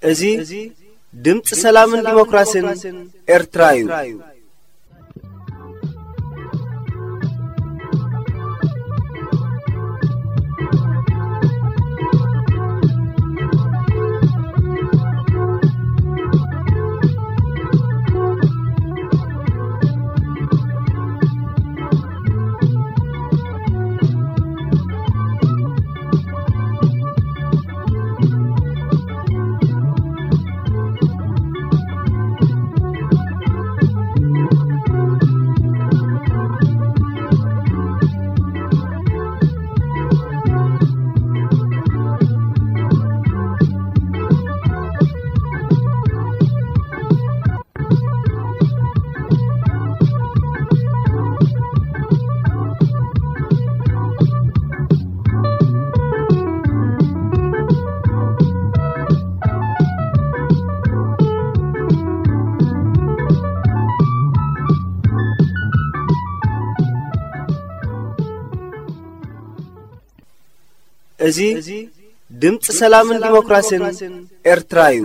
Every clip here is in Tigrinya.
እዚ ድምፂ ሰላምን ዲሞክራሲን ኤርትራ እዩ። እዚ ድምፂ ሰላምን ዲሞክራሲን ኤርትራ እዩ።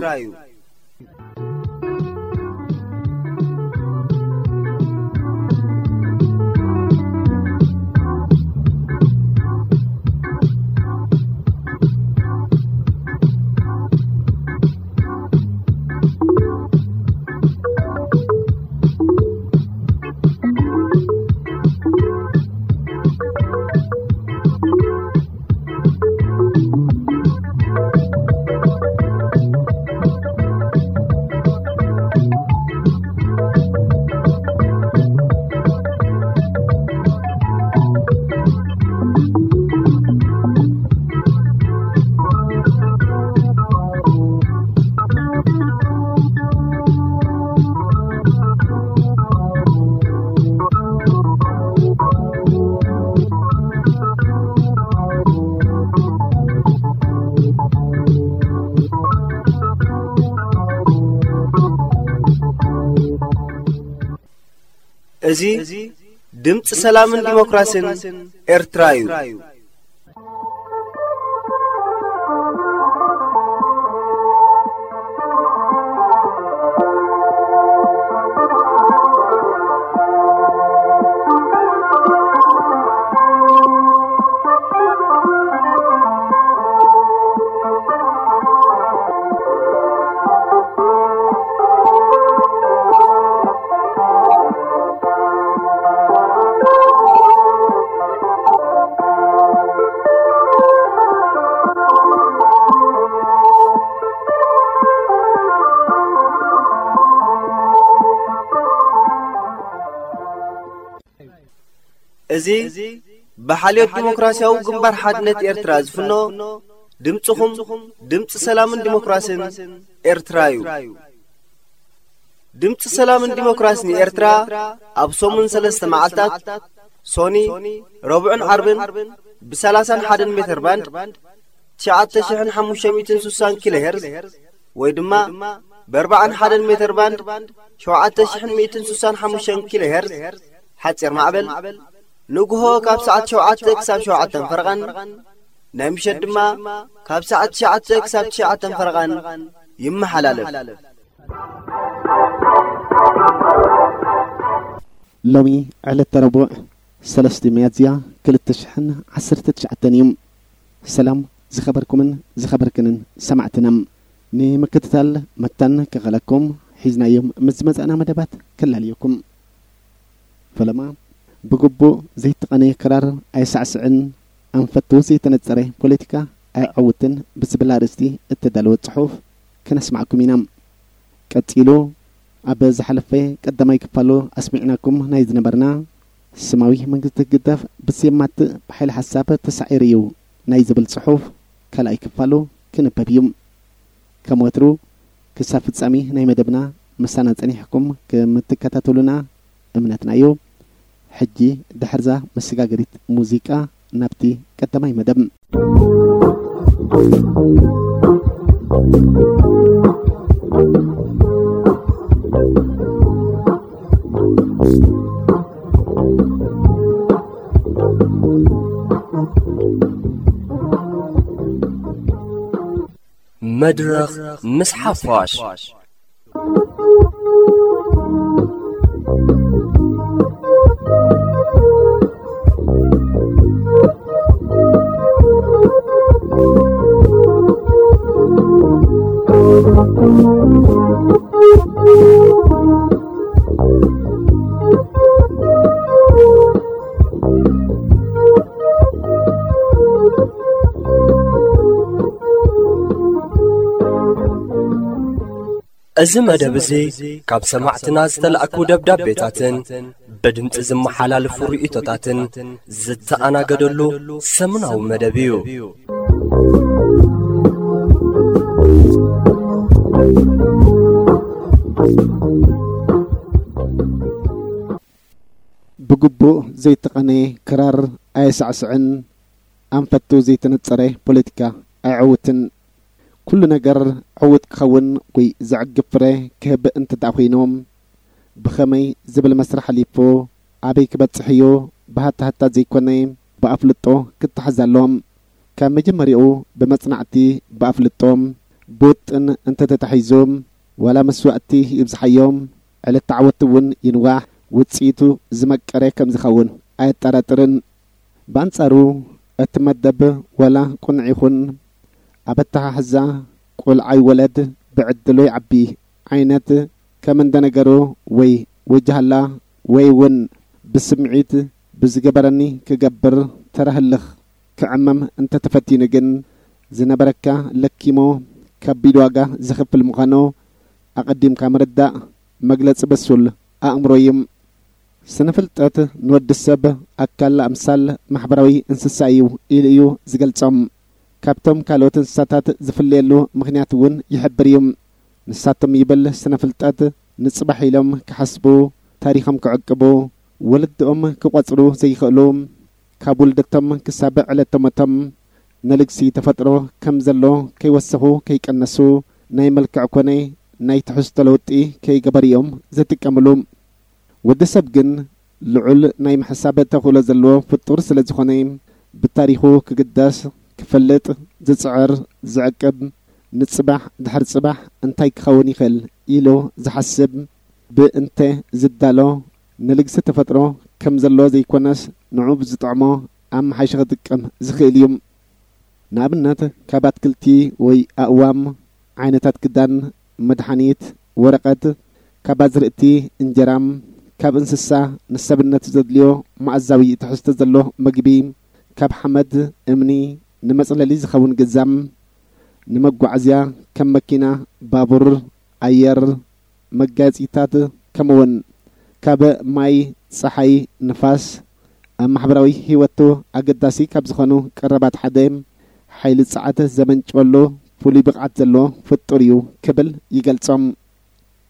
እዚ ድምፂ ሰላምን ዲሞክራሲን ኤርትራ እዩ። እዚ ብሓልዮት ዲሞክራሲያዊ ግንባር ሓድነት ኤርትራ ዝፍኖ ድምፅኹም፣ ድምፂ ሰላምን ዲሞክራሲን ኤርትራ እዩ። ድምፂ ሰላምን ዲሞክራሲን ኤርትራ ኣብ ሰሙን ሰለስተ መዓልታት፣ ሶኒ፣ ረቡዕን ዓርብን፣ ብ30ን ሓደ ሜትር ባንድ፣ ትሽዓተ ሽሕን ሓሙሽተ ሚእትን ስሳን ኪሎ ሄርዝ፣ ወይ ድማ ብ41 ሜትር ባንድ፣ ሸውዓተ ሽሕን ሚእትን ስሳን ሓሙሽተን ኪሎ ሄርዝ፣ ሓፂር ማዕበል፣ ንግሆ ካብ ሰዓት ሸውዓተ ክሳብ ሸውዓተን ፈረቓን፣ ናይ ምሸት ድማ ካብ ሰዓት ትሽዓተ ክሳብ ትሽዓተን ፈረቓን ይመሓላለፍ። ሎሚ ዕለተ ረቡዕ፣ ሰለስተ ሚያዝያ ክልተ ሽሕን ዓሰርተ ትሽዓተን እዩ። ሰላም፣ ዝኸበርኩምን ዝኸበርክንን ሰማዕትና፣ ንምክትታል መታን ክኸለኩም ሒዝናዮም ምስ ዝመጻእና መደባት ከላልየኩም። ፈለማ ብግቡእ ዘይተቐነየ ክራር ኣይሳዕስዕን፣ ኣንፈቱ ዘይተነጸረ ፖለቲካ ኣይዕውትን ብዝብል ኣርእስቲ እተዳለወ ጽሑፍ ከነስማዕኩም ኢና። ቀጺሉ ኣብ ዝሓለፈ ቀዳማይ ክፋሉ ኣስሚዕናኩም ናይ ዝነበርና፣ ስማዊ መንግስቲ ህግደፍ ብሴማት ብሓይሊ ሓሳብ ተሳዒሩ እዩ ናይ ዝብል ጽሑፍ ካልኣይ ክፋሉ ክንበብ እዩ። ከም ወትሩ ክሳብ ፍጻሜ ናይ መደብና ምሳና ጸኒሕኩም ከምትከታተሉና እምነትና እዩ። ሕጂ ድሕርዛ መሰጋገሪት ሙዚቃ ናብቲ ቀዳማይ መደብ። መድረኽ ምስ ሓፋሽ። እዚ መደብ እዚ ካብ ሰማዕትና ዝተላእኩ ደብዳቤታትን ብድምጺ ዝመሓላለፉ ርእይቶታትን ዝተኣናገደሉ ሰሙናዊ መደብ እዩ። ብግቡእ ዘይተቐነየ ክራር ኣየሳዕስዕን፣ ኣንፈቱ ዘይተነጸረ ፖለቲካ ኣይዕውትን። ኩሉ ነገር ዕዉት ክኸውን ወይ ዘዕግብ ፍረ ክህብ እንተ ደኣ ኮይኑ፣ ብኸመይ ዝብል መስርሕ ኣሊፉ ኣበይ ክበጽሕ እዩ ብሃታሃታ ዘይኮነ፣ ብኣፍልጦ ክተሓዝ ኣለዎ። ካብ መጀመሪያኡ ብመጽናዕቲ፣ ብኣፍልጦ፣ ብውጥን እንተተታሒዙ፣ ዋላ መስዋእቲ ይብዝሓዮ፣ ዕለት ዓወት እውን ይንዋሕ፣ ውጽኢቱ ዝመቀረ ከም ዝኸውን ኣየጠራጥርን። ብኣንጻሩ፣ እቲ መደብ ዋላ ቅኑዕ ይኹን፣ ኣብ ኣተሓሕዛ ቆልዓ ይወለድ ብዕድሉ ይዓቢ ዓይነት፣ ከም እንደ ነገሩ ወይ ወጃህላ ወይ እውን ብስምዒት ብዝገበረኒ ክገብር ተራ ህልኽ ክዕመም እንተተፈቲኑ ግን፣ ዝነበረካ ለኪሙ ከቢድ ዋጋ ዘኽፍል ምዃኑ ኣቐዲምካ ምርዳእ መግለጺ በሱል ኣእምሮ እዩ። ስነ ፍልጠት ንወዲ ሰብ ኣካል ኣምሳል ማሕበራዊ እንስሳ እዩ ኢሉ እዩ ዝገልጾም። ካብቶም ካልኦት እንስሳታት ዝፍለየሉ ምኽንያት እውን ይሕብር እዩ። ንሳቶም ይብል ስነ ፍልጠት ንጽባሕ ኢሎም ክሓስቡ፣ ታሪኾም ክዕቅቡ፣ ወለድኦም ክቖጽሩ ዘይኽእሉ፣ ካብ ውልደቶም ክሳብ ዕለተ ሞቶም ንልግሲ ተፈጥሮ ከም ዘሎ ከይወሰኹ ከይቀነሱ ናይ መልክዕ ኮነ ናይ ትሕዝቶ ለውጢ ከይገበሩ እዮም ዝጥቀምሉ። ወዲ ሰብ ግን ልዑል ናይ ምሕሳብ ተኽእሎ ዘለዎ ፍጡር ስለ ዝኾነ፣ ብታሪኹ ክግደስ፣ ክፈልጥ ዝጽዕር፣ ዝዕቅብ፣ ንጽባሕ ድሕሪ ጽባሕ እንታይ ክኸውን ይኽእል ኢሉ ዝሓስብ፣ ብእንተ ዝዳሎ፣ ንልግሲ ተፈጥሮ ከም ዘሎ ዘይኮነስ ንዕኡ ብዝጥዕሞ ኣመሓይሹ ክጥቀም ዝኽእል እዩ። ንኣብነት ካብ ኣትክልቲ ወይ ኣእዋም፣ ዓይነታት ክዳን፣ መድሓኒት፣ ወረቐት፣ ካብ ኣዝርእቲ እንጀራ፣ ካብ እንስሳ ንሰብነት ዘድልዮ መኣዛዊ ትሕዝቶ ዘሎ መግቢ፣ ካብ ሓመድ፣ እምኒ፣ ንመጽለሊ ዝኸውን ገዛ፣ ንመጓዓዝያ ከም መኪና፣ ባቡር፣ ኣየር፣ መጋየጺታት፣ ከምኡውን ካብ ማይ፣ ጸሓይ፣ ንፋስ፣ ኣብ ማሕበራዊ ህይወቱ ኣገዳሲ ካብ ዝኾኑ ቀረባት ሓደ፣ ሓይሊ ጸዓት ዘመንጭወሉ ፍሉይ ብቕዓት ዘለዎ ፍጡር እዩ ክብል ይገልጾም።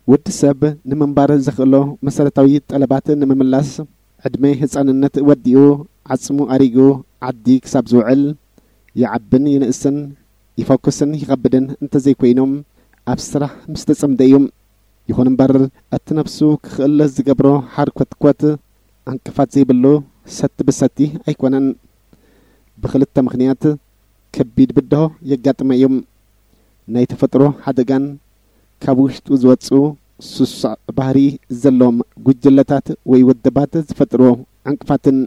ወዲ ሰብ ንምንባር ዘኽእሎ መሰረታዊ ጠለባት ንምምላስ፣ ዕድመ ህጻንነት ወዲኡ፣ ዓጽሙ ኣሪጉ፣ ዓዲ ክሳብ ዝውዕል፣ ይዓብን ይንእስን፣ ይፈኩስን ይኸብድን እንተዘይኮይኑ፣ ኣብ ስራሕ ምስ ተጸምደ እዩ። ይኹን እምበር፣ እቲ ነብሱ ክኽእል ዝገብሮ ሓርኮትኮት ዕንቅፋት ዘይብሉ ሰቲ ብሰቲ ኣይኮነን። ብኽልተ ምኽንያት ከቢድ ብድሆ የጋጥሞ እዩ። ናይ ተፈጥሮ ሓደጋን ካብ ውሽጡ ዝወጽኡ ስሱዕ ባህሪ ዘለዎም ጉጅለታት ወይ ውድባት ዝፈጥርዎ ዕንቅፋትን።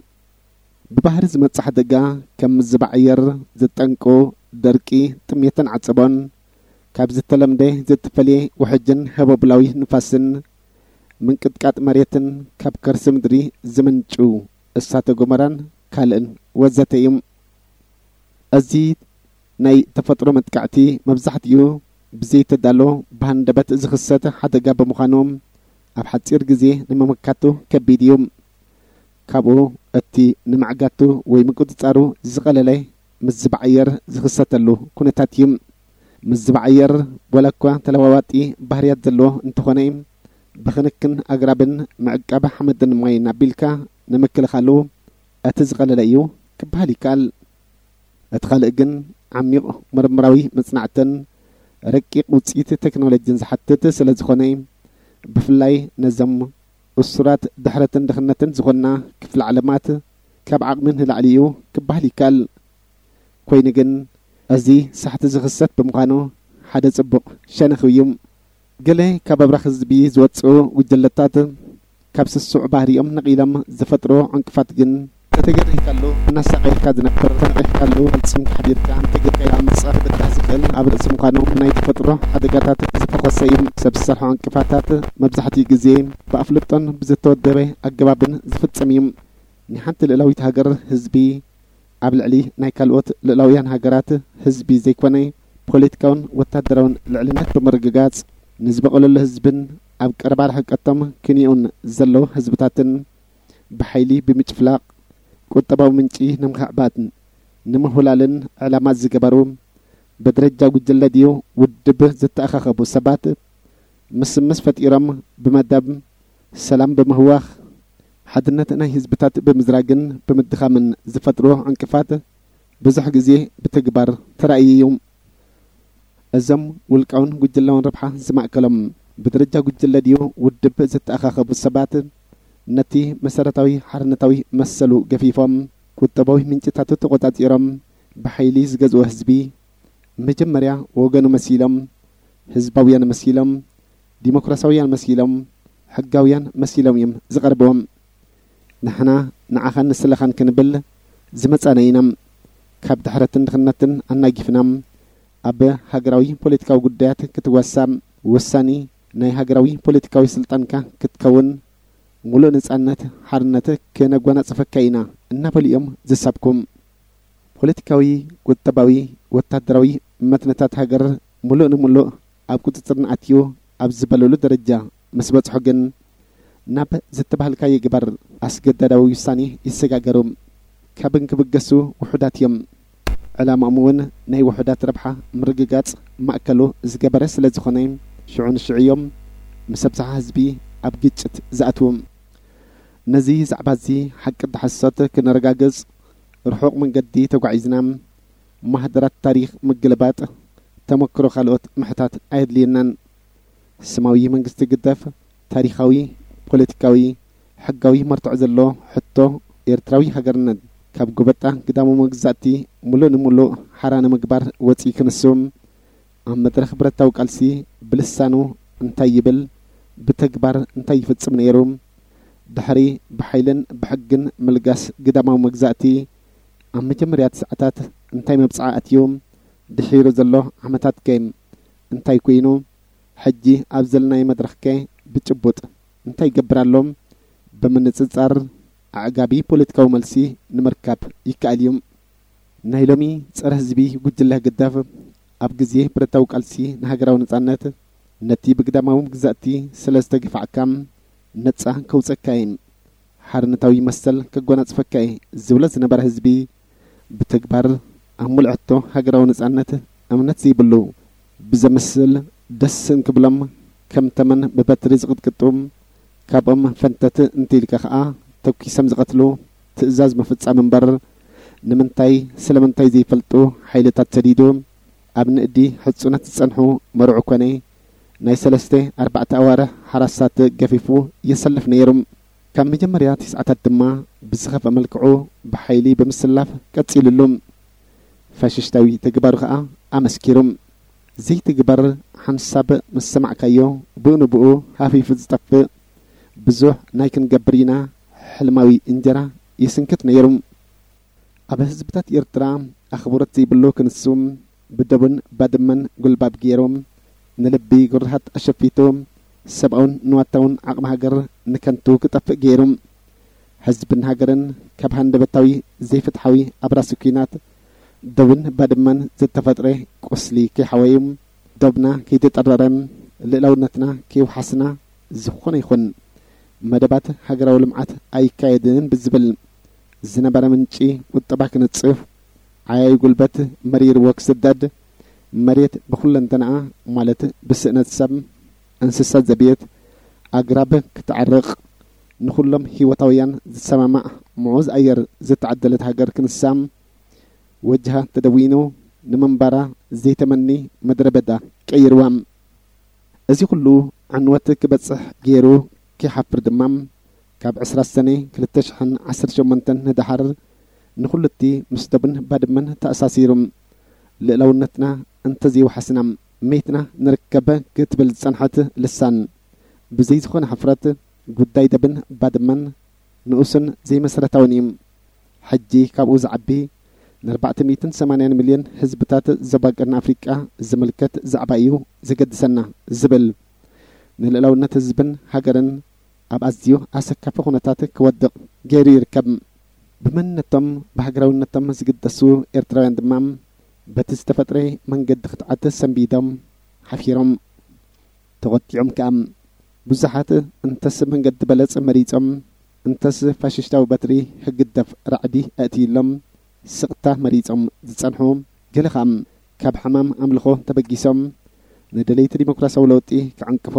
ብባህሪ ዝመጽእ ሓደጋ ከም ምዝባዕ ኣየር፣ ዝጠንቁ ደርቂ፣ ጥሜትን ዓጸቦን፣ ካብ ዝተለምደ ዘይተፈልየ ውሕጅን ህቦብላዊ ንፋስን ምንቅጥቃጥ መሬትን ካብ ከርሲ ምድሪ ዝምንጩ እሳተ ጎመራን ካልእን ወዘተ እዮም። እዚ ናይ ተፈጥሮ መጥቃዕቲ መብዛሕትኡ ብዘይተዳሎ ብሃንደበት ዝኽሰት ሓደጋ ብምዃኑ፣ ኣብ ሓጺር ግዜ ንምምካቱ ከቢድ እዩ። ካብኡ እቲ ንምዕጋቱ ወይ ምቁጽጻሩ ዝቐለለ ምስ ዝባዓየር ዝኽሰተሉ ኩነታት እዩ። ምስ ዝባዓየር ዋላ እኳ ተለዋዋጢ ባህርያት ዘለዎ እንተኾነ፣ ብኽንክን ኣግራብን ምዕቃብ ሓመድን ማይን ኣቢልካ ንምክልኻሉ እቲ ዝቐለለ እዩ ክበሃል ይከኣል። እቲ ካልእ ግን ዓሚቕ ምርምራዊ መጽናዕትን ረቂቕ ውጽኢት ቴክኖሎጂን ዝሓትት ስለ ዝኾነ፣ ብፍላይ ነዞም እሱራት ድሕረትን ድኽነትን ዝኾንና ክፍለ ዓለማት ካብ ዓቕሚ ንላዕሊ እዩ ክበሃል ይከኣል። ኮይኑ ግን እዚ ሳሕቲ ዝኽሰት ብምዃኑ ሓደ ጽቡቕ ሸነኽ እዩ። ገለ ካብ ኣብራኽ ህዝቢ ዝወጽኡ ጉጅለታት ካብ ስሱዕ ባህሪኦም ነቒሎም ዝፈጥሮ ዕንቅፋት ግን፣ ተተገኒሕካሉ እናሳቐየካ ዝነብር፣ ተነቒሕካሉ ፈጺምካ ሓዲርካ፣ እንተጌርካዮ ኣምጻ ክብዳህ ዝኽእል ኣብ ርእሲ ምዃኑ፣ ናይ ተፈጥሮ ሓደጋታት ዝፈኾሰ እዩ። ሰብ ዝሰርሖ ዕንቅፋታት መብዛሕትኡ ግዜ ብኣፍልጦን ብዝተወደበ ኣገባብን ዝፍጸም እዩ። ናይ ሓንቲ ልእላዊት ሃገር ህዝቢ ኣብ ልዕሊ ናይ ካልኦት ልእላውያን ሃገራት ህዝቢ ዘይኮነ፣ ፖለቲካውን ወታደራውን ልዕልነት ብምርግጋጽ፣ ንዝበቐለሉ ህዝብን ኣብ ቀረባ ርሕቀቶም ክንዮኡን ዘለዉ ህዝብታትን ብሓይሊ ብምጭፍላቕ፣ ቁጠባዊ ምንጪ ንምኽዕባትን ንምሁላልን ዕላማ ዝገበሩ፣ ብደረጃ ጉጅለ ድዩ ውድብ ዝተኣኻኸቡ ሰባት ምስምስ ፈጢሮም፣ ብመደብ ሰላም ብምህዋኽ፣ ሓድነት ናይ ህዝብታት ብምዝራግን ብምድኻምን ዝፈጥሮ ዕንቅፋት ብዙሕ ግዜ ብተግባር ተራእዩ እዩ። እዞም ውልቃውን ጉጅላውን ረብሓ ዝማእከሎም፣ ብደረጃ ጉጅለ ድዩ ውድብ ዝተኣኻኸቡ ሰባት፣ ነቲ መሰረታዊ ሓርነታዊ መሰሉ ገፊፎም፣ ቁጠባዊ ምንጭታቱ ተቖጻጺሮም፣ ብሓይሊ ዝገዝኦ ህዝቢ፣ መጀመርያ ወገኑ መሲሎም፣ ህዝባውያን መሲሎም፣ ዲሞክራሲያውያን መሲሎም፣ ሕጋውያን መሲሎም እዮም ዝቐርብዎም። ንሕና ንዓኻን ንስለኻን ክንብል ዝመጻና ኢና። ካብ ድሕረትን ድኽነትን ኣናጊፍና፣ ኣብ ሃገራዊ ፖለቲካዊ ጉዳያት ክትዋሳእ፣ ወሳኒ ናይ ሃገራዊ ፖለቲካዊ ስልጣንካ ክትከውን፣ ሙሉእ ነጻነት፣ ሓርነት ክነጓናጽፈካ ኢና እናበሉ እዮም ዝሰብኩ። ፖለቲካዊ፣ ቁጠባዊ፣ ወታደራዊ መትንታት ሃገር ሙሉእ ንሙሉእ ኣብ ቁጽጽርና ኣትዩ ኣብ ዝበለሉ ደረጃ ምስ በጽሑ ግን፣ ናብ ዝተባህልካዮ ግበር ኣስገዳዳዊ ውሳኔ ይሰጋገሩ። ካብ እንክብገሱ ውሑዳት እዮም። ዕላማኦም እውን ናይ ውሑዳት ረብሓ ምርግጋጽ ማእከሉ ዝገበረ ስለ ዝኾነ፣ ሽዑ ንሽዑ እዮም ምስ ኣብዝሓ ህዝቢ ኣብ ግጭት ዝኣትዉ። ነዚ ዛዕባ እዚ ሓቂ ድሓሰት ክነረጋግጽ ርሑቕ መንገዲ ተጓዒዝና፣ ማህደራት ታሪኽ ምግልባጥ፣ ተመክሮ ካልኦት ምሕታት ኣየድልየናን። ስማዊ መንግስቲ ግደፍ፣ ታሪኻዊ፣ ፖለቲካዊ፣ ሕጋዊ መርትዖ ዘሎ ሕቶ ኤርትራዊ ሃገርነት ካብ ጎበጣ ግዳሙ መግዛእቲ ሙሉእ ንሙሉእ ሓራ ንምግባር ወጺኡ ክንሱ፣ ኣብ መድረኽ ብረታዊ ቃልሲ ብልሳኑ እንታይ ይብል፣ ብተግባር እንታይ ይፍጽም ነይሩ፣ ድሕሪ ብሓይልን ብሕግን ምልጋስ ግዳማዊ መግዛእቲ ኣብ መጀመርያ ሰዓታት እንታይ መብጽዓ ኣትዩ፣ ድሒሩ ዘሎ ዓመታት ከ እንታይ ኮይኑ፣ ሕጂ ኣብ ዘለናዮ መድረኽ ከ ብጭቡጥ እንታይ ይገብር ኣሎ? ብምንጽጻር ኣዕጋቢ ፖለቲካዊ መልሲ ንምርካብ ይከኣል እዩ። ናይ ሎሚ ጸረ ህዝቢ ጉጅለ ህግደፍ፣ ኣብ ግዜ ብረታዊ ቃልሲ ንሃገራዊ ነጻነት፣ ነቲ ብግዳማዊ መግዛእቲ ስለ ዝተገፋዕካ ነጻ ከውጸካ እየ፣ ሓርነታዊ መሰል ከጎናጽፈካ እየ ዝብሎ ዝነበረ ህዝቢ፣ ብተግባር ኣብ ሙሉእ ሕቶ ሃገራዊ ነጻነት እምነት ዘይብሉ ብዘምስል፣ ደስ እንክብሎም ከም ተመን ብበትሪ ዝቕጥቅጡ፣ ካብኦም ፈንተት እንተኢልካ ከኣ ተኲሶም ዝቐትሉ ትእዛዝ ምፍጻም እምበር፣ ንምንታይ ስለምንታይ ዘይፈልጡ ሓይልታት ሰዲዱ፣ ኣብ ንእዲ ሕጹነት ዝጸንሑ መርዑ ኮነ ናይ ሰለስተ ኣርባዕተ ኣዋርሕ ሓራሳት ገፊፉ የሰልፍ ነይሩ። ካብ መጀመርያ ትስዓታት ድማ ብዝኸፍአ መልክዑ ብሓይሊ ብምስላፍ ቀጺሉሉ። ፋሽስታዊ ተግባሩ ከኣ ኣመስኪሩ። ዘይትግበር ሓንሳብ ምስ ሰማዕካዮ፣ ብኡ ንብኡ ሃፊፉ ዝጠፍእ ብዙሕ ናይ ክንገብር ኢና ሕልማዊ እንጀራ ይስንክት ነይሩ። ኣብ ህዝብታት ኤርትራ ኣኽብሮት ዘይብሉ ክንሱ፣ ብደቡን ባድመን ጉልባብ ገይሩ፣ ንልቢ ጉርሃት ኣሸፊቱ፣ ሰብኣውን ንዋታውን ዓቕሚ ሃገር ንከንቱ ክጠፍእ ገይሩ፣ ህዝብን ሃገርን ካብ ሃንደበታዊ ዘይፍትሓዊ ኣብራሲ ኲናት ደቡን ባድመን ዝተፈጥረ ቁስሊ ከይሓወዩ፣ ደብና ከይተጠረረ፣ ልእላውነትና ከይውሓስና፣ ዝኾነ ይኹን መደባት ሃገራዊ ልምዓት ኣይካየድን ብዝብል ዝነበረ ምንጪ ቁጠባ ክንጽፍ፣ ዓያዩ ጉልበት መሪርዎ ክስደድ፣ መሬት ብኹለንተናኣ ማለት ብስእነት ሰብ፣ እንስሳ ዘቤት፣ ኣግራብ ክትዓርቕ፣ ንኹሎም ህይወታውያን ዝሰማማዕ ምዑዝ ኣየር ዝተዓደለት ሃገር ክንሳ፣ ወጅሃ ተደዊኑ ንምንባራ ዘይተመኒ ምድረ በዳ ቀይርዋ። እዚ ኩሉ ዕንወት ክበጽሕ ገይሩ ከይሓፍር ድማ፣ ካብ ዕስራ ሰነ ክልተ ሽሕን ዓሰርተ ሸሞንተን ንደሓር ንኹሉ እቲ ምስ ደቡን ባድመን ተኣሳሲሩ፣ ልእላውነትና እንተዘይወሓስና፣ መይትና ንርከብ ክትብል ዝጸንሐት ልሳን፣ ብዘይ ዝኾነ ሕፍረት ጉዳይ ደብን ባድመን ንኡስን ዘይመሰረታውን እዩ። ሕጂ ካብኡ ዝዓቢ፣ ን ኣርባዕተ ሚእትን ሰማንያን ሚልዮን ህዝብታት ዞባ ቀርኒ ኣፍሪቃ ዝምልከት ዛዕባ እዩ ዘገድሰና ዝብል፣ ንልእላውነት ህዝብን ሃገርን ኣብ ኣዝዩ ኣሰካፊ ኩነታት ክወድቕ ገይሩ ይርከብ። ብመንነቶም፣ ብሃገራውነቶም ዝግደሱ ኤርትራውያን ድማ፣ በቲ ዝተፈጥረ መንገዲ ክትዓት ሰንቢዶም ሓፊሮም። ተቖጢዖም ከኣ፣ ብዙሓት እንተስ መንገዲ በለጽ መሪጾም፣ እንተስ ፋሽስታዊ በትሪ ህግደፍ ራዕዲ ኣእትዩሎም ስቕታ መሪጾም ዝጸንሑ፣ ገለ ከኣ ካብ ሕማም ኣምልኾ ተበጊሶም፣ ንደለይቲ ዲሞክራሲያዊ ለውጢ ክዕንቅፉ፣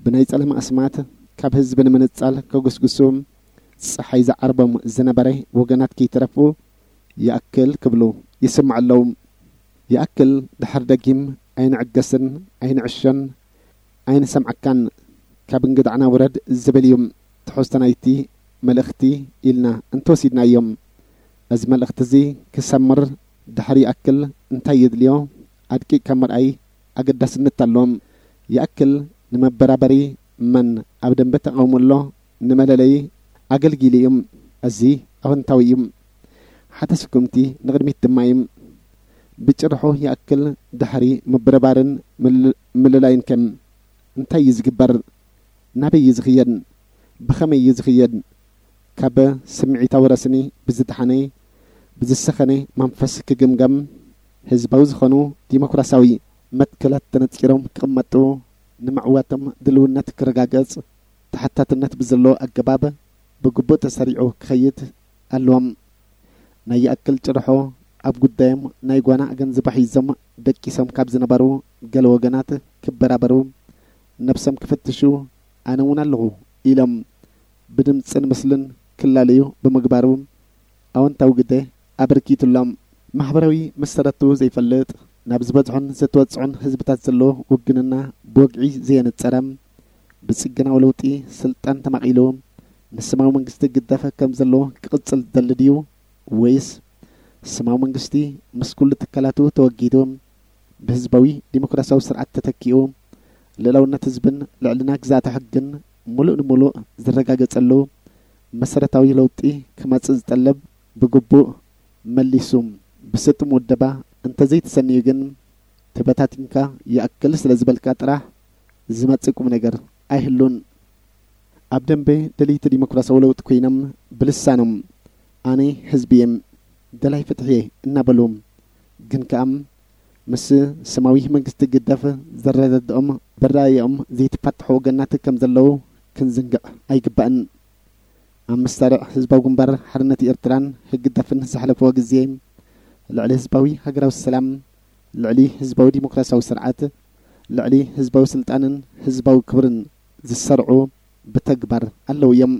ብናይ ጸለመ ኣስማት ካብ ህዝቢ ንምንጻል ከጉስጉሱ፣ ጸሓይ ዝዓርቦም ዝነበረ ወገናት ከይተረፉ ይኣክል ክብሉ ይስምዑ ኣለዉ። ይኣክል ድሕር ደጊም ኣይንዕገስን ኣይንዕሾን ኣይንሰምዓካን፣ ካብ እንግዳዕና ውረድ ዝብል እዩ ትሕዝቶ ናይቲ መልእኽቲ ኢልና እንተወሲድናዮ። እዚ መልእኽቲ እዚ ክሰምር ድሕር ይኣክል እንታይ የድልዮ ኣድቂቕካ ምርኣይ ኣገዳስነት ኣለዎ። ይኣክል ንመበራበሪ መን ኣብ ደንበ ተቓውሞ ኣሎ ንመለለዪ ኣገልጊሉ እዩ። እዚ ኣወንታዊ እዩ። ሓደ ስጉምቲ ንቕድሚት ድማ እዩ። ብጭርሖ ይኣክል ድሕሪ ምብርባርን ምል-፣ ምልላይን ከ እንታይ እዩ ዝግበር? ናበይ እዩ ዝኽየድ? ብኸመይ እዩ ዝኽየድ? ካብ ስምዒታዊ ረስኒ ብዝደሓነ፣ ብዝሰኸነ መንፈስ ክግምገም፣ ህዝባዊ ዝኾኑ ዲሞክራሲያዊ መትከላት ተነጺሮም ክቕመጡ፣ ንምዕዋቶም ድልውነት ክረጋገጽ፣ ተሓታትነት ብዘለዎ ኣገባብ ብግቡእ ተሰሪዑ ክኸይድ ኣለዎም። ናይ ይኣክል ጭርሖ ኣብ ጉዳዮም ናይ ጓና ኣገንዝቦ ሒዞም ደቂሶም ካብ ዝነበሩ ገለ ወገናት ክበራበሩ፣ ነብሶም ክፍትሹ፣ ኣነ እውን ኣለኹ ኢሎም ብድምጽን ምስልን ክላለዩ ብምግባሩ ኣወንታዊ ግደ ኣበርኪቱሎም። ማሕበራዊ መሰረቱ ዘይፈልጥ፣ ናብ ዝበዝሑን ዘተወጽዑን ህዝብታት ዘሎ ውግንና ብወግዒ ዘየነጸረ፣ ብጽገናዊ ለውጢ ስልጣን ተማቒሉ ንስማዊ መንግስቲ ግደፈ ከም ዘሎ ክቕጽል ዝደሊ ድዩ? ወይስ ስማዊ መንግስቲ ምስ ኩሉ ትካላቱ ተወጊዱ ብህዝባዊ ዲሞክራሲያዊ ስርዓት ተተኪኡ ልእላውነት ህዝብን ልዕልና ግዛእተ ሕግን ሙሉእ ንሙሉእ ዝረጋገጸሉ መሰረታዊ ለውጢ ክመጽእ ዝጠልብ ብግቡእ መሊሱ ብስጡም ውደባ እንተዘይተሰንዩ ግን ተበታቲንካ ይኣክል ስለ ዝበልካ ጥራሕ ዝመጽእ ቁም ነገር ኣይህሉን። ኣብ ደንበ ደለይቲ ዲሞክራሲያዊ ለውጢ ኮይኖም ብልሳኖም ኣነ ህዝቢ እየ፣ ደላይ ፍትሒ እየ እናበሉ ግን ከኣ ምስ ስማዊ መንግስቲ ግደፍ ዘረዳድኦም ብራእዮም ዘይተፋትሑ ወገናት ከም ዘለዉ ክንዝንግዕ ኣይግባእን። ኣብ መሳርዕ ህዝባዊ ግንባር ሓርነት ኤርትራን ህግደፍን ዘሕለፍዎ ግዜ ልዕሊ ህዝባዊ ሃገራዊ ሰላም፣ ልዕሊ ህዝባዊ ዲሞክራሲያዊ ስርዓት፣ ልዕሊ ህዝባዊ ስልጣንን ህዝባዊ ክብርን ዝሰርዑ ብተግባር ኣለዉ እዮም።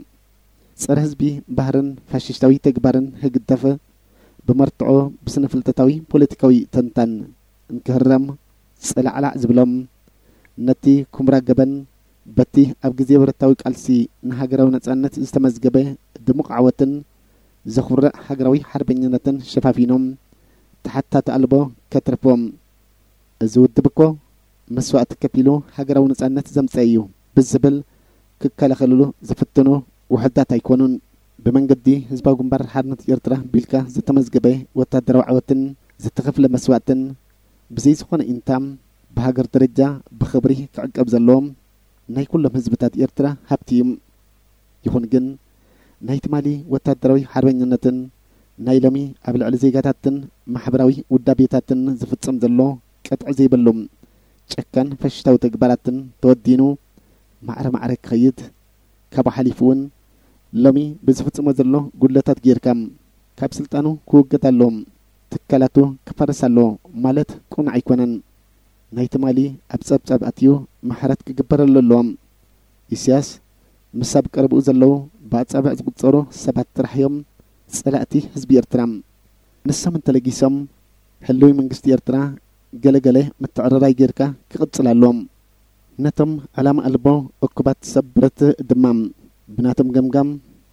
ጸረ ህዝቢ ባህርን ፋሽስታዊ ተግባርን ህግደፍ ብመርትዖ ብስነ ፍልጠታዊ ፖለቲካዊ ተንታን እንክህረም ጽላዕላዕ ዝብሎም ነቲ ኩምራ ገበን በቲ ኣብ ግዜ ብረታዊ ቃልሲ ንሃገራዊ ነጻነት ዝተመዝገበ ድሙቕ ዓወትን ዘኹርዕ ሃገራዊ ሓርበኝነትን ሸፋፊኖም ተሓታቲ ኣልቦ ከትርፎም። እዚ ውድብ እኮ መስዋእቲ ከፊሉ ሃገራዊ ነጻነት ዘምጸ እዩ ብዝብል ክከላኸልሉ ዝፍትኑ ውሑዳት ኣይኮኑን። ብመንገዲ ህዝባዊ ግንባር ሓርነት ኤርትራ ቢልካ ዝተመዝገበ ወታደራዊ ዓወትን ዝተኸፍለ መስዋእትን ብዘይ ዝኾነ ኢንታ ብሃገር ደረጃ ብኽብሪ ክዕቀብ ዘለዎ ናይ ኩሎም ህዝብታት ኤርትራ ሃብቲ እዩ። ይኹን ግን ናይ ትማሊ ወታደራዊ ሓርበኝነትን ናይ ሎሚ ኣብ ልዕሊ ዜጋታትን ማሕበራዊ ውዳቤታትን ዝፍጸም ዘሎ ቅጥዒ ዘይብሉ ጨካን ፋሽስታዊ ተግባራትን ተወዲኑ ማዕረ ማዕረ ክኸይድ፣ ካብኡ ሓሊፉ እውን ሎሚ ብዝፍጽሞ ዘሎ ጉድለታት ጌርካ ካብ ስልጣኑ ክውገድ ኣሎ፣ ትካላቱ ክፈርስ ኣሎ ማለት ቅኑዕ ኣይኮነን። ናይ ትማሊ ኣብ ጸብጻብ ኣትዩ ምሕረት ክግበረሉ ኣለዎ። ኢሳያስ ምስ ኣብ ቀረብኡ ዘለዉ ብኣጻብዕ ዝቑጸሩ ሰባት ጥራሕ እዮም ጸላእቲ ህዝቢ ኤርትራ። ንሶም እንተለጊሶም ህልዊ መንግስቲ ኤርትራ ገለገለ ምትዕርራይ ጌርካ ክቕጽል ኣለዎም። ነቶም ዕላማ ኣልቦ እኩባት ሰብ ብረት ድማ ብናቶም ገምጋም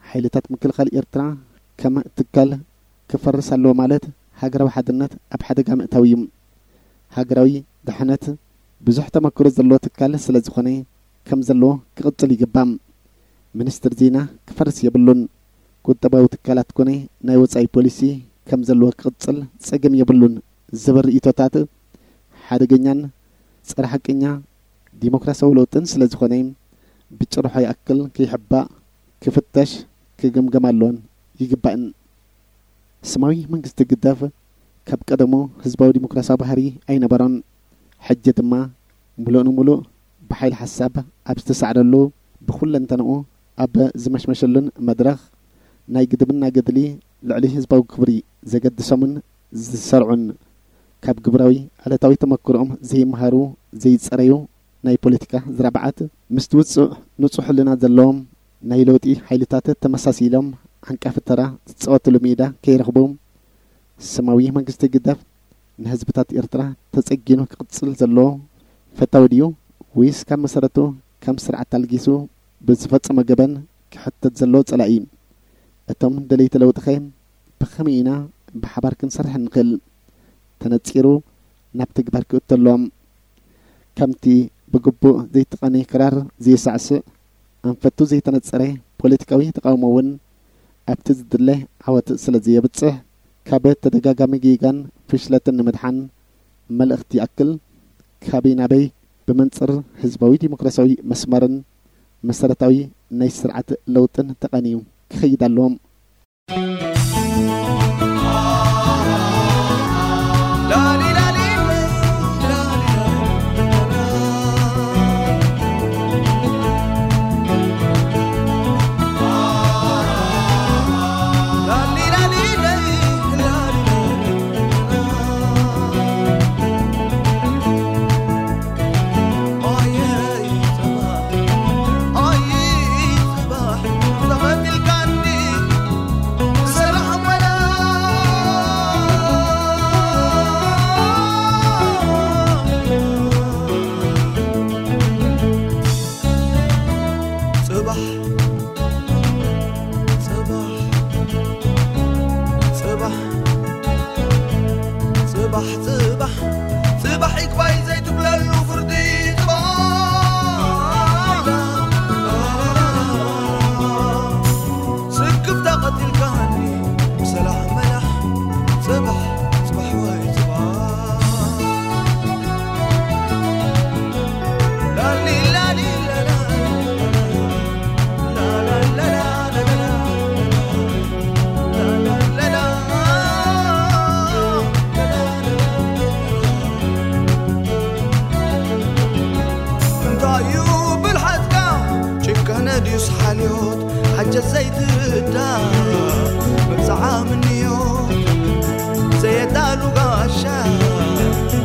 ሓይልታት ምክልኻል ኤርትራ ከም ትካል ክፈርስ ኣለዎ ማለት ሃገራዊ ሓድነት ኣብ ሓደጋ ምእታው እዩ። ሃገራዊ ድሕነት ብዙሕ ተመክሮ ዘለዎ ትካል ስለ ዝኾነ ከም ዘለዎ ክቕጽል ይግባእ። ሚኒስትር ዜና ክፈርስ የብሉን። ቁጠባዊ ትካላት ኮነ ናይ ወጻኢ ፖሊሲ ከም ዘለዎ ክቕጽል ጸገም የብሉን ዝብል ርእይቶታት ሓደገኛን ጸረ ሓቀኛ ዲሞክራሲያዊ ለውጥን ስለ ዝኾነ ብጭርሖ ይኣክል ከይሕባእ ክፍተሽ ክግምገም ኣሎን ይግባእን። ስማዊ መንግስቲ ግደፍ ካብ ቀደሙ ህዝባዊ ዲሞክራሲያዊ ባህሪ ኣይነበሮን። ሕጂ ድማ ምሉእ ንምሉእ ብሓይሊ ሓሳብ ኣብ ዝተሳዕረሉ ብኹለንተንኡ ኣብ ዝመሽመሸሉን መድረኽ ናይ ግድብና ገድሊ ልዕሊ ህዝባዊ ክብሪ ዘገድሶምን ዝሰርዑን ካብ ግብራዊ ዕለታዊ ተመክሮኦም ዘይመሃሩ ዘይጸረዩ ናይ ፖለቲካ ዝራብዓት ምስቲ ውጹዕ ንጹሕ ሕልና ዘለዎም ናይ ለውጢ ሓይልታት ተመሳሲሎም ዓንቃፊ ተራ ዝጻወትሉ ሜዳ ከይረኽቡ ስማዊ መንግስቲ ግደፍ ንህዝብታት ኤርትራ ተጸጊኑ ክቕጽል ዘለዎ ፈታዊ ድዩ ወይስ ካብ መሰረቱ ከም ስርዓት ኣልጊሱ ብዝፈጸሞ ገበን ክሕተት ዘለዎ ጸላኢ? እቶም ደለይቲ ለውጥኸ ብኸመይ ኢና ብሓባር ክንሰርሕ እንኽእል? ተነጺሩ ናብ ተግባር ክእቶ ኣለዎም። ከምቲ ብግቡእ ዘይተቐነየ ክራር ዘየሳዕስዕ ኣንፈቱ ዘይተነጸረ ፖለቲካዊ ተቓውሞ እውን ኣብቲ ዝድለ ዓወት ስለ ዘየብጽሕ ካብ ተደጋጋሚ ጌጋን ፍሽለትን ንምድሓን መልእኽቲ ይኣክል ካበይ ናበይ ብመንጽር ህዝባዊ ዲሞክራሲያዊ መስመርን መሰረታዊ ናይ ስርዓት ለውጥን ተቐንዩ ክኸይድ ኣለዎም። ጽባሕ ጽባሕ ጽባሕ ጽባሕ ጽባሕ ጽባሕ ይግባይ ዘይትብለሉ ፍርዲ ጽባሕ ስክፍታ ቀቲልካኒ ብሰላሕ መላሕ ጽባሕ ጽባሕ ወይ ጽባሕ ላሊ ላሊ ላላ እንታይ እዩ ብልሓትካ ጭካነ ድዩስ ሓልዮት ሓጀት ዘይትርዳ መብዛዓ ምንዮት ዘየዳሉ ጋሻ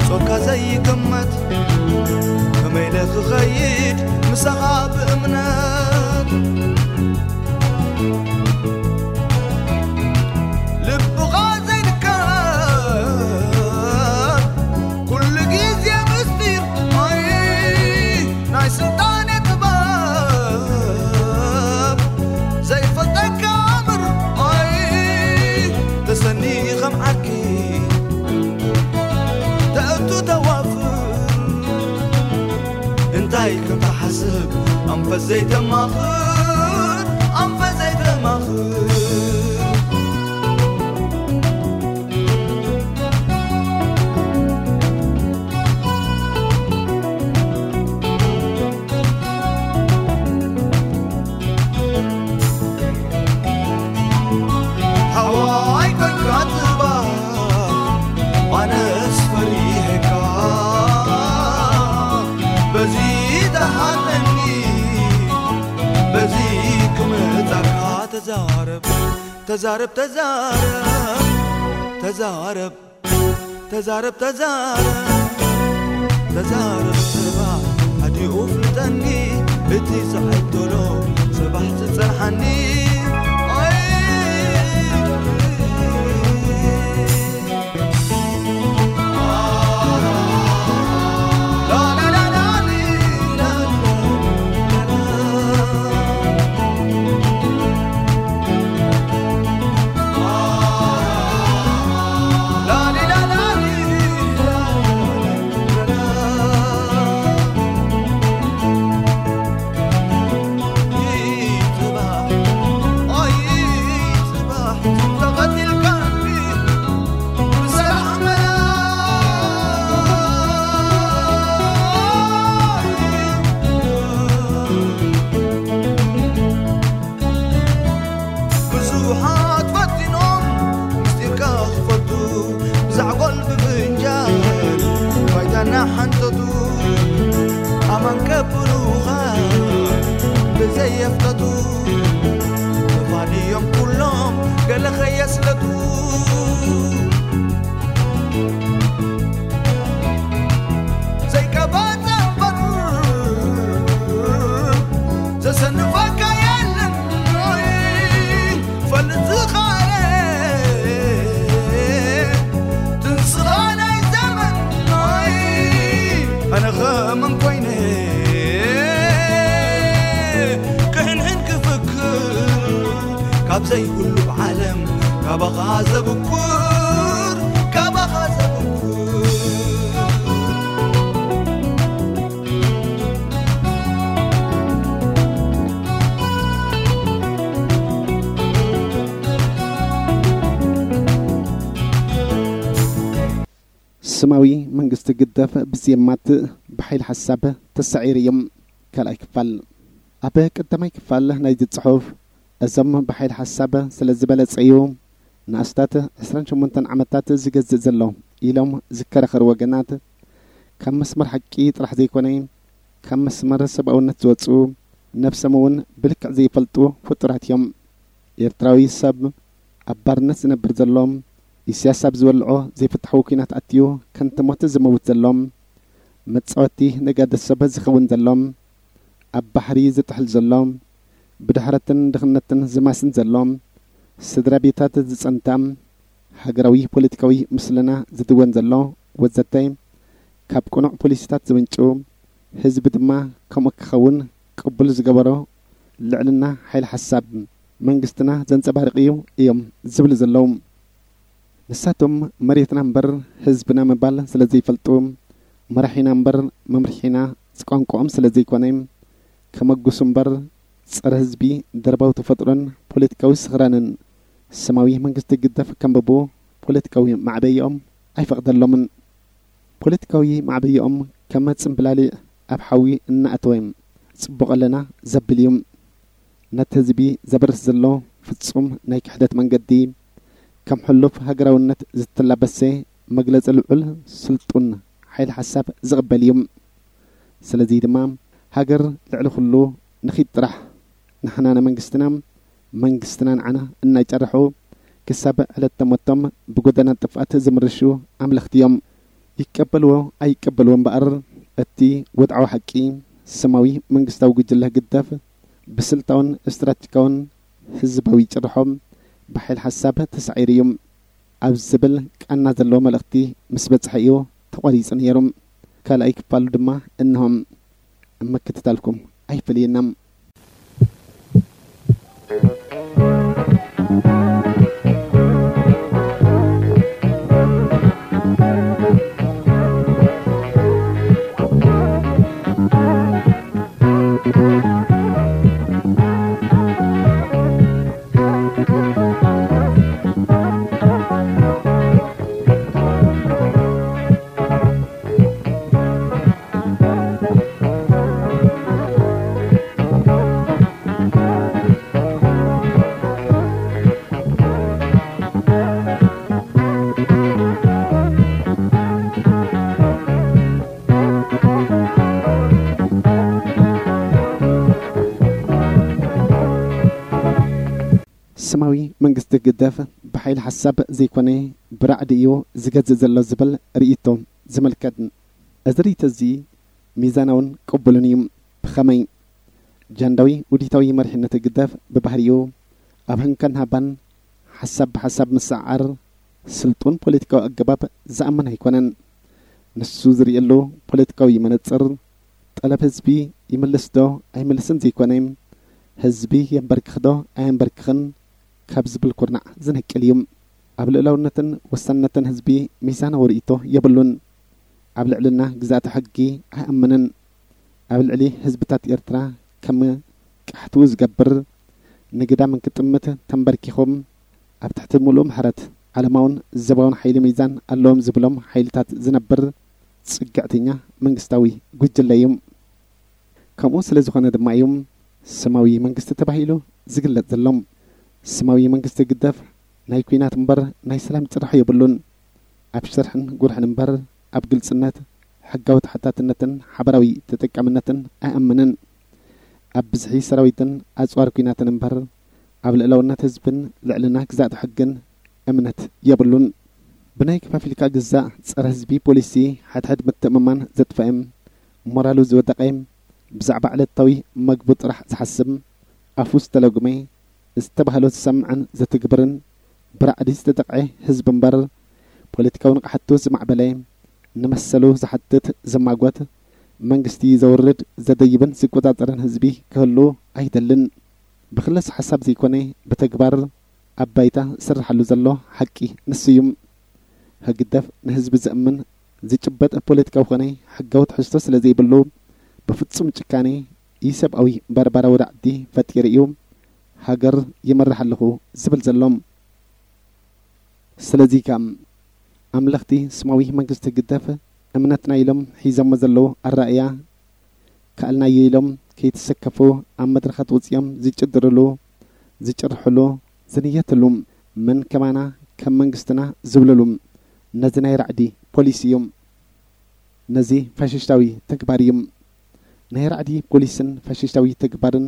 ጾርካ ዘይግመት ከመይ ኢለ ክኸይድ ምሳኻ ብእምነት ልብኻ ዘይንከር ኩሉ ግዜ ምስጢር ኣይ ናይ ስልጣነ ጥበብ ዘይፈልጠካ ኣምር ኣይ ተሰኒ ከም ዓርኪ ተእቱ ተዋፍር እንታይ ከም ትሓስብ ኣንፈት ዘይተማኽር ኣንፈት ዘይተማኽር ፈሪሄካ በዚ ተሓተኒ፣ በዚ ክመጻካ። ተዛረብ፣ ተዛረብ፣ ተዛረብ፣ ተዛረብ፣ ተዛረብ፣ ተዛረብ፣ ተዛረብ፣ ጽባሕ ኣዲኡ ፍልጠኒ፣ እቲ ዝዓይብ ቶሎ ጽባሕ ዝጸንሓኒ። ኣይ። ብዙሓት ፈቲኖም ምስጢርካ ክፈልጡ፣ ብዛዕጎል ብፍንጃል ባይታ እናሓንጠጡ፣ ኣማን ከብሉኻ ብዘየፍለጡ፣ ክፋል እዮም ኩሎም ገለ ከየስለጡ። ዘይቀባጸ እምበር ዘሰንፈካ የለን። ፈልጥ ዝኸኣለ ትንስኻ ናይ ዘመን። ኣነ ኸመን ኮይነ ክህንህን ክፍክር ካብ ዘይብሉ ዓለም ካባኻ ዘብኩር፣ ካባኻ ዘብኩር። ስማዊ መንግስቲ ግደፍ ብዜማት ብሓይሊ ሓሳብ ተሳዒሩ እዮም። ካልኣይ ክፋል። ኣብ ቀዳማይ ክፋል ናይዚ ጽሑፍ፣ እዞም ብሓይሊ ሓሳብ ስለ ዝበለጸዩ ንኣስታት ዕስራን ሸሞንተን ዓመታት ዝገዝእ ዘሎ ኢሎም ዝከራኸሩ ወገናት፣ ካብ መስመር ሓቂ ጥራሕ ዘይኮነ፣ ካብ መስመር ሰብኣውነት ዝወጹ፣ ነብሶም እውን ብልክዕ ዘይፈልጡ ፍጡራት እዮም። ኤርትራዊ ሰብ ኣብ ባርነት ዝነብር ዘሎ፣ ኢሳያስ ኣብ ዝበልዖ ዘይፍትሓዊ ኲናት ኣትዩ ከንቱ ሞት ዝመውት ዘሎ፣ መጻወቲ ነጋዶ ሰብ ዝኸውን ዘሎ፣ ኣብ ባሕሪ ዝጥሕል ዘሎ፣ ብድሕረትን ድኽነትን ዝማስን ዘሎ፣ ስድራ ቤታት ዝጸንታ፣ ሃገራዊ ፖለቲካዊ ምስልና ዝድወን ዘሎ፣ ወዘተ፣ ካብ ቅኑዕ ፖሊሲታት ዝምንጩ፣ ህዝቢ ድማ ከምኡ ክኸውን ቅቡል ዝገበሮ፣ ልዕልና ሓይሊ ሓሳብ መንግስትና ዘንጸባርቕ እዩ እዮም ዝብሉ ዘለዉ። ንሳቶም መሬትና እምበር ህዝብና ምባል ስለ ዘይፈልጡ፣ መራሒና እምበር መምርሒና ቋንቋኦም ስለ ዘይኮነ፣ ከመጉሱ እምበር ጸረ ህዝቢ ደርባዊ ተፈጥሮን ፖለቲካዊ ስኽራንን ስማዊ መንግስቲ ግደፍ ከንብቡ ፖለቲካዊ ማዕበይኦም ኣይፈቕደሎምን። ፖለቲካዊ ማዕበይኦም ከም ጽምብላሊዕ ኣብ ሓዊ እናኣተወ ጽቡቕ ኣለና ዘብል እዩ። ነቲ ህዝቢ ዘበርስ ዘሎ ፍጹም ናይ ክሕደት መንገዲ፣ ከም ሕሉፍ ሃገራውነት ዝተላበሰ መግለጺ ልዑል ስልጡን ሓይሊ ሓሳብ ዝቕበል እዩ። ስለዚ ድማ ሃገር ልዕሊ ኩሉ ንኺድ ጥራሕ። ንሕና ንመንግስትና፣ መንግስትና ንዓና እናጨርሑ ክሳብ ዕለተ ሞቶም ብጎደና ጥፍኣት ዝምርሹ ኣምለኽቲ እዮም። ይቀበልዎ ኣይቀበልዎ እምበኣር፣ እቲ ወድዓዊ ሓቂ ስማዊ መንግስታዊ ጉጅለ ህግደፍ ብስልታውን ስትራቴጂካውን ህዝባዊ ጭርሖ ብሓይል ሓሳብ ተሳዒሩ እዩ ኣብ ዝብል ቃና ዘለዎ መልእኽቲ ምስ በጽሐ እዩ ተቋሪጹ ነይሩ። ካልኣይ ክፋሉ ድማ እንሆ። ኣብ ምክትታልኩም ኣይፈለየና። ስማዊ መንግስቲ ህግደፍ ብሓይሊ ሓሳብ ዘይኮነ ብራዕዲ እዩ ዝገዝእ ዘሎ ዝብል ርእይቶ ዝምልከት። እዚ ርእይቶ እዚ ሚዛናውን ቅቡልን እዩ። ብኸመይ? ጃንዳዊ ውዲታዊ መሪሕነት ህግደፍ ብባህሪኡ ኣብ ህንካን ሃባን ሓሳብ ብሓሳብ ምስዕዓር ስልጡን ፖለቲካዊ ኣገባብ ዝኣምን ኣይኮነን። ንሱ ዝርእየሉ ፖለቲካዊ መነጽር ጠለብ ህዝቢ ይምልስ ዶ ኣይምልስን ዘይኮነ፣ ህዝቢ የንበርክኽ ዶ ኣየንበርክኽን ካብ ዝብል ኩርናዕ ዝነቅል እዩ። ኣብ ልእላውነትን ወሳንነትን ህዝቢ ሚዛናዊ ርእይቶ የብሉን። ኣብ ልዕልና ግዛእቲ ሕጊ ኣይኣምንን። ኣብ ልዕሊ ህዝብታት ኤርትራ ከም ቃሕትኡ ዝገብር ንግዳም ክጥምት ተንበርኪኹም ኣብ ትሕቲ ምሉእ ምሕረት ዓለማውን ዘባውን ሓይሊ ሚዛን ኣለዎም ዝብሎም ሓይልታት ዝነብር ጽግዕተኛ መንግስታዊ ጉጅለ እዩ። ከምኡ ስለ ዝኾነ ድማ እዩ ስማዊ መንግስቲ ተባሂሉ ዝግለጽ ዘሎ። ስማዊ መንግስቲ ግደፍ ናይ ኲናት እምበር ናይ ሰላም ጽራሕ የብሉን። ኣብ ሽርሕን ጉርሕን እምበር ኣብ ግልጽነት፣ ሕጋዊ ተሓታትነትን ሓበራዊ ተጠቃምነትን ኣይኣምንን። ኣብ ብዝሒ ሰራዊትን ኣጽዋር ኲናትን እምበር ኣብ ልእላውነት ህዝብን ልዕልና ግዛእቲ ሕግን እምነት የብሉን። ብናይ ከፋፊልካ ግዛእ ጸረ ህዝቢ ፖሊሲ ሓድሕድ ምትእምማን ዘጥፈአ፣ ሞራሉ ዝወደቐ፣ ብዛዕባ ዕለታዊ መግቡ ጥራሕ ዝሓስብ፣ ኣፉ ዝተለጉመ፣ ዝተባህሎ ዝሰምዕን ዝትግብርን ብራዕዲ ዝተጠቕዐ ህዝቢ እምበር፣ ፖለቲካዊ ንቕሓቱ ዝማዕበለ፣ ንመሰሉ ዝሓትት ዝማጎት፣ መንግስቲ ዘውርድ ዘደይብን ዝቆጻጸርን ህዝቢ ክህሉ ኣይደልን። ብክለስ ሓሳብ ዘይኮነ ብተግባር ኣብ ባይታ ዝስርሓሉ ዘሎ ሓቂ ንሱ እዩ። ህግደፍ ንህዝቢ ዘእምን ዝጭበጥ ፖለቲካዊ ኮነ ሕጋዊ ትሕዝቶ ስለ ዘይብሉ፣ ብፍጹም ጭካኔ ኢሰብኣዊ ባርባራዊ ራዕዲ ፈጢሩ እዩ ሃገር ይመርሕ ኣለኹ ዝብል ዘሎ። ስለዚ ከኣ ኣምለኽቲ ስማዊ መንግስቲ ህግደፍ እምነትና ኢሎም ሒዞሞ ዘለዉ ኣረኣእያ ከኣልናዮ ኢሎም ከይተሰከፉ ኣብ መድረኻት ወጺኦም ዝጭድርሉ፣ ዝጭርሕሉ፣ ዝንየትሉ፣ መን ከማና ከም መንግስትና ዝብልሉ ነዚ ናይ ራዕዲ ፖሊሲ እዩ። ነዚ ፋሽስታዊ ተግባር እዩ። ናይ ራዕዲ ፖሊስን ፋሽስታዊ ተግባርን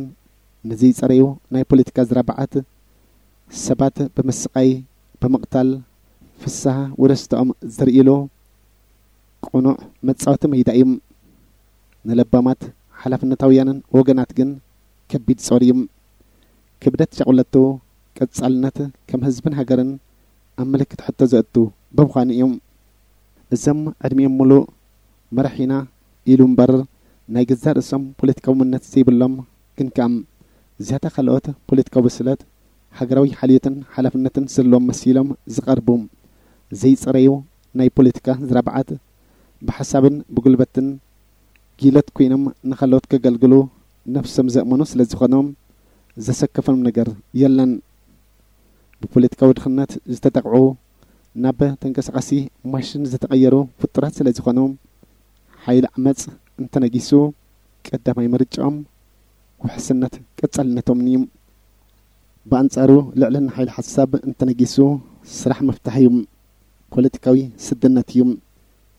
ነዚ ጸረዩ ናይ ፖለቲካ ዝራባዓት ሰባት ብምስቓይ፣ ብምቕታል፣ ፍስሃ ወደስተኦም ዘርእሉ ቅኑዕ መጻወቲ ሜዳ እዩ። ንለባማት ሓላፍነታውያንን ወገናት ግን ከቢድ ጾር እዩ። ክብደት ሻቑለቱ ቀጻልነት ከም ህዝብን ሃገርን ኣብ ምልክት ሕቶ ዘእቱ ብምዃኑ እዩ። እዞም ዕድሚኦም ሙሉእ መራሒና ኢሉ እምበር ናይ ገዛእ ርእሶም ፖለቲካዊ መንነት ዘይብሎም ግን ከኣ ዝያዳ ካልኦት ፖለቲካዊ ብስለት፣ ሃገራዊ ሓልዮትን ሓላፍነትን ዘለዎም መሲሎም ዝቐርቡ ዘይጸረዩ ናይ ፖለቲካ ዝራባዓት ብሓሳብን ብጉልበትን ጊለት ኮይኖም ንኻልኦት ከገልግሉ ነፍሶም ዘእመኑ ስለ ዝኾኑ ዘሰከፎም ነገር የለን። ብፖለቲካዊ ድኽነት ዝተጠቕዑ ናብ ተንቀሳቓሲ ማሽን ዝተቐየሩ ፍጡራት ስለ ዝኾኑ ሓይሊ ዓመጽ እንተነጊሱ ቀዳማይ ምርጫኦም ውሕስነት ቀጻልነቶምን እዩ። ብኣንጻሩ ልዕልና ሓይሊ ሓሳብ እንተነጊሱ ስራሕ ምፍታሕ እዩ። ፖለቲካዊ ስድነት እዩ።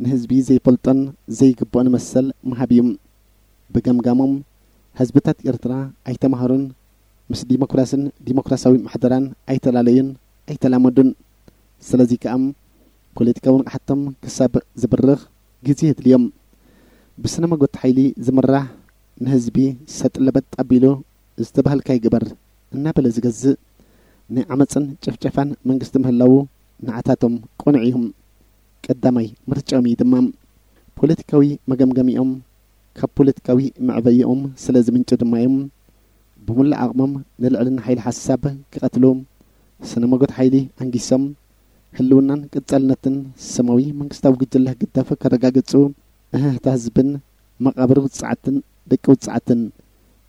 ንህዝቢ ዘይፈልጦን ዘይግብኦን መሰል ምሃብ እዩ። ብገምጋሞም ህዝብታት ኤርትራ ኣይተማህሩን፣ ምስ ዲሞክራስን ዲሞክራሲያዊ ምሕደራን ኣይተላለዩን ኣይተላመዱን። ስለዚ ከኣ ፖለቲካዊ ንቕሓቶም ክሳብ ዝብርኽ ግዜ የድልዮም። ብስነ መጎት ሓይሊ ዝምራሕ ንህዝቢ ሰጥ ለበጥ ኣቢሉ ዝተባህልካይ ግበር እናበለ ዝገዝእ ናይ ዓመፅን ጭፍጨፋን መንግስቲ ምህላዉ ንዓታቶም ቅኑዕ እዩ። ቀዳማይ ምርጫኦም እዩ ድማ። ፖለቲካዊ መገምገሚኦም ካብ ፖለቲካዊ መዕበይኦም ስለ ዝምንጩ ድማ እዮም ብሙሉእ ዓቕሞም ንልዕልና ሓይሊ ሓሳብ ክቐትሉ ስነ መጎት ሓይሊ ኣንጊሶም ህልውናን ቀጻልነትን ስማዊ መንግስታዊ ጉጅለ ህግደፍ ከረጋግጹ እህህታ ህዝብን መቓብር ውጽዓትን ደቂ ውጽዓትን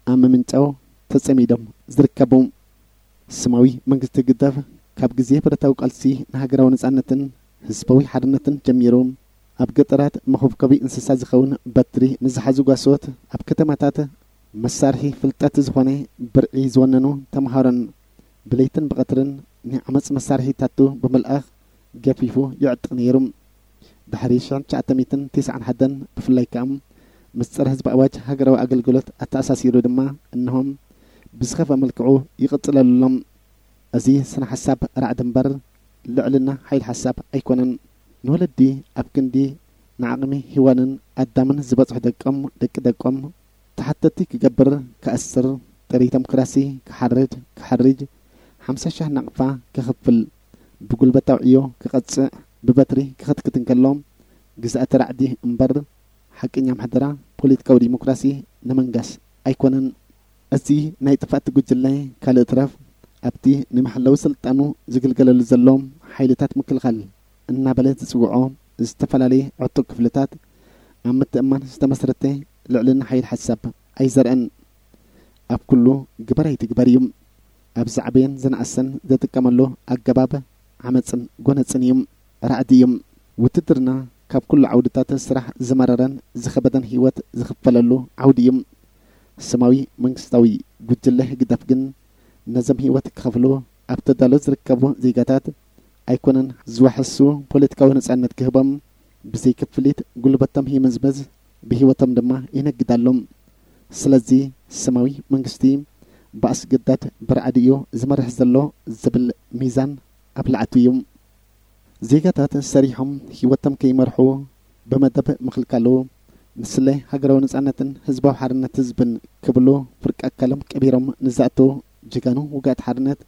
ኣብ ምምንጫው ተጸሚዶም ዝርከቡ። ስማዊ መንግስቲ ህግደፍ ካብ ግዜ ብረታዊ ቃልሲ ንሃገራዊ ነጻነትን ህዝባዊ ሓርነትን ጀሚሩ ኣብ ገጠራት መኾብኮቢ እንስሳ ዝኸውን በትሪ ንዝሓዙ ጓሶት፣ ኣብ ከተማታት መሳርሒ ፍልጠት ዝኾነ ብርዒ ዝወነኑ ተምሃሮን ብለይትን ብቐትርን ናይ ዓመጽ መሳርሒታቱ ብምልኣኽ ገፊፉ ይዕጥቕ ነይሩ። ድሕሪ ሽሕን ትሽዓተ ሚእትን ተስዓን ሓደን ብፍላይ ከኣ ምስ ጸረ ህዝቢ ኣዋጅ ሃገራዊ ኣገልግሎት ኣተኣሳሲሩ ድማ እንሆ ብዝኸፍአ መልክዑ ይቕጽለሉ ኣሎ። እዚ ስነ ሓሳብ ራዕዲ እምበር ልዕልና ሓይል ሓሳብ ኣይኮነን። ንወለዲ ኣብ ክንዲ ንዓቕሚ ሂዋንን ኣዳምን ዝበጽሑ ደቆም፣ ደቂ ደቆም ተሓተቲ ክገብር፣ ክኣስር፣ ጥሪ ተምክራሲ ክሓርድ፣ ክሓርጅ፣ ሓምሳ ሻህ ናቕፋ ክኽፍል፣ ብጉልበት ኣውዕዮ ክቐጽዕ፣ ብበትሪ ክኽትክት እንከሎ፣ ግዝኣተ ራዕዲ እምበር ሓቀኛ ምሕደራ ፖለቲካዊ ዲሞክራሲ ንምንጋስ ኣይኮነን። እዚ ናይ ጥፍኣት ጉጅለ ካልእ ትረፍ ኣብቲ ንመሐለዊ ስልጣኑ ዝግልገለሉ ዘሎ ሓይልታት ምክልኻል እናበለ ዝጽውዖ ዝተፈላለየ ዕጡቕ ክፍልታት ኣብ ምትእምማን ዝተመስረተ ልዕልና ሓይል ሓሳብ ኣይዘርአን። ኣብ ኩሉ ግበር ኣይትግበር እዩ። ኣብ ዝዓበየን ዝነኣሰን ዘጥቀመሉ ኣገባብ ዓመፅን ጎነፅን እዩ። ራዕዲ እዩ። ውትድርና ካብ ኩሉ ዓውድታት ስራሕ ዝመረረን ዝኸበደን ህይወት ዝኽፈለሉ ዓውዲ እዩ። ስማዊ መንግስታዊ ጉጅለ ህግደፍ ግን ነዞም ህይወት ክኸፍሉ ኣብ ተዳሎ ዝርከቡ ዜጋታት ኣይኮነን ዝወሐሱ ፖለቲካዊ ነጻነት ክህቦም፣ ብዘይ ክፍሊት ጉልበቶም ይምዝምዝ፣ ብህይወቶም ድማ ይነግድ ኣሎ። ስለዚ ስማዊ መንግስቲ ብኣስገዳድ ብራዕዲ እዩ ዝመርሕ ዘሎ ዝብል ሚዛን ኣብላዕቱ እዩ። ዜጋታት ሰሪሖም ህይወቶም ከይመርሑ ብመደብ ምኽልካሉ፣ ንስለ ሃገራዊ ነጻነትን ህዝባዊ ሓርነት ህዝብን ክብሉ ፍርቂ ኣካሎም ቀቢሮም ንዝኣተዉ ጀጋኑ ውግኣት ሓርነት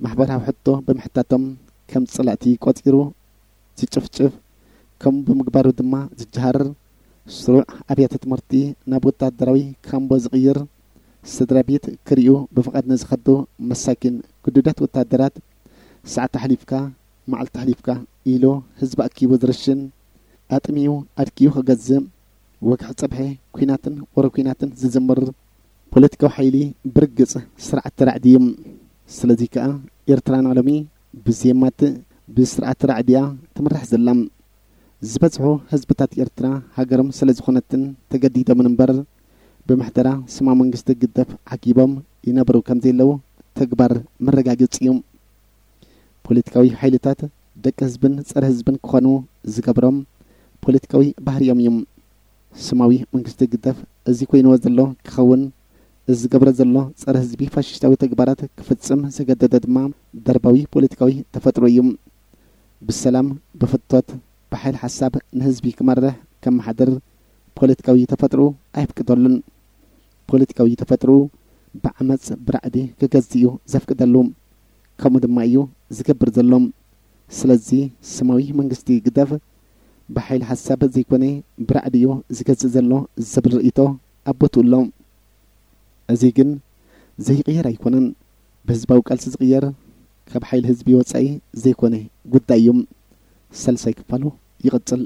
ማሕበራዊ ሕቶ ብምሕታቶም ከም ጸላእቲ ቆጺሩ ዝጭፍጭፍ፣ ከምኡ ብምግባሩ ድማ ዝጀሃር፣ ስሩዕ ኣብያተ ትምህርቲ ናብ ወታደራዊ ካምቦ ዝቕይር፣ ስድራ ቤት ክርእዩ ብፍቓድ ንዝኸዱ መሳኪን ግዱዳት ወታደራት፣ ሰዓት ኣሕሊፍካ፣ መዓልቲ ኣሕሊፍካ ኢሉ ህዝቢ ኣኪቡ ዝርሽን፣ ኣጥምዩ ኣድክዩ ክገዝእ፣ ወግሒ ጸብሐ ኲናትን ወረ ኲናትን ዝዝምር ፖለቲካዊ ሓይሊ ብርግጽ ስርዓት ተራዕዲ እዩ። ስለዚ ከኣ ኤርትራ ንሎሚ ብዜማት ብስርዓት ተራዕዲ እያ ትምራሕ ዘላ። ዝበዝሑ ህዝብታት ኤርትራ ሃገሮም ስለ ዝኾነትን ተገዲዶምን እምበር፣ ብምሕደራ ስማ መንግስቲ ግደፍ ዓጊቦም ይነብሩ ከም ዘለዉ ተግባር መረጋገጺ እዩ። ፖለቲካዊ ሓይልታት ደቂ ህዝብን ጸረ ህዝብን ክኾኑ ዝገብሮም ፖለቲካዊ ባህሪኦም እዩ። ስማዊ መንግስቲ ግደፍ እዚ ኮይንዎ ዘሎ ክኸውን፣ እዚ ዝገብሮ ዘሎ ጸረ ህዝቢ ፋሽስታዊ ተግባራት ክፍጽም ዘገደደ ድማ ደርባዊ ፖለቲካዊ ተፈጥሮ እዩ። ብሰላም፣ ብፍቶት፣ ብሓይል ሓሳብ ንህዝቢ ክመርሕ ከመሓድር ፖለቲካዊ ተፈጥሮ ኣየፍቅደሉን። ፖለቲካዊ ተፈጥሮ ብዓመጽ ብራዕዲ ክገዝእ እዩ ዘፍቅደሉ። ከምኡ ድማ እዩ ዝገብር ዘሎ። ስለዚ ስማዊ መንግስቲ ግደፍ ብሓይል ሓሳብ ዘይኮነ ብራዕዲ እዩ ዝገዝእ ዘሎ ዝብል ርእይቶ ኣብ ቦትኡ ኣሎ። እዚ ግን ዘይቕየር ኣይኮነን። ብህዝባዊ ቃልሲ ዝቕየር፣ ካብ ሓይሊ ህዝቢ ወጻኢ ዘይኮነ ጉዳይ እዩ። ሳልሳይ ክፋሉ ይቕጽል።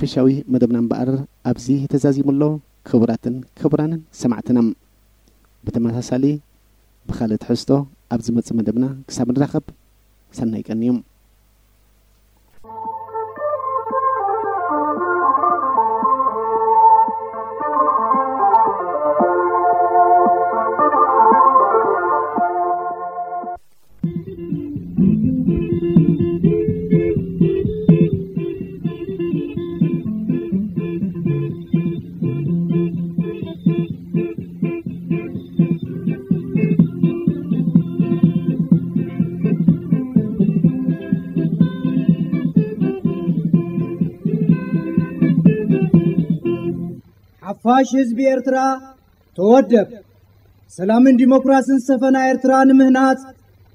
ሓድሻዊ መደብና እምበኣር ኣብዚ ተዛዚሙ ኣሎ። ክቡራትን ክቡራንን ሰማዕትና፣ ብተመሳሳሊ ብኻልእ ትሕዝቶ ኣብ ዝመጽእ መደብና ክሳብ ንራኸብ፣ ሰናይ ቀን እዩ። ሓፋሽ ህዝቢ ኤርትራ፣ ተወደብ። ሰላምን ዲሞክራስን ዝሰፈና ኤርትራ ንምህናጽ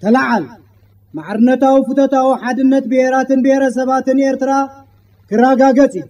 ተለዓል። ማዕርነታዊ ፍቶታዊ ሓድነት ብሄራትን ብሄረሰባትን ኤርትራ ክረጋገጽ እዩ።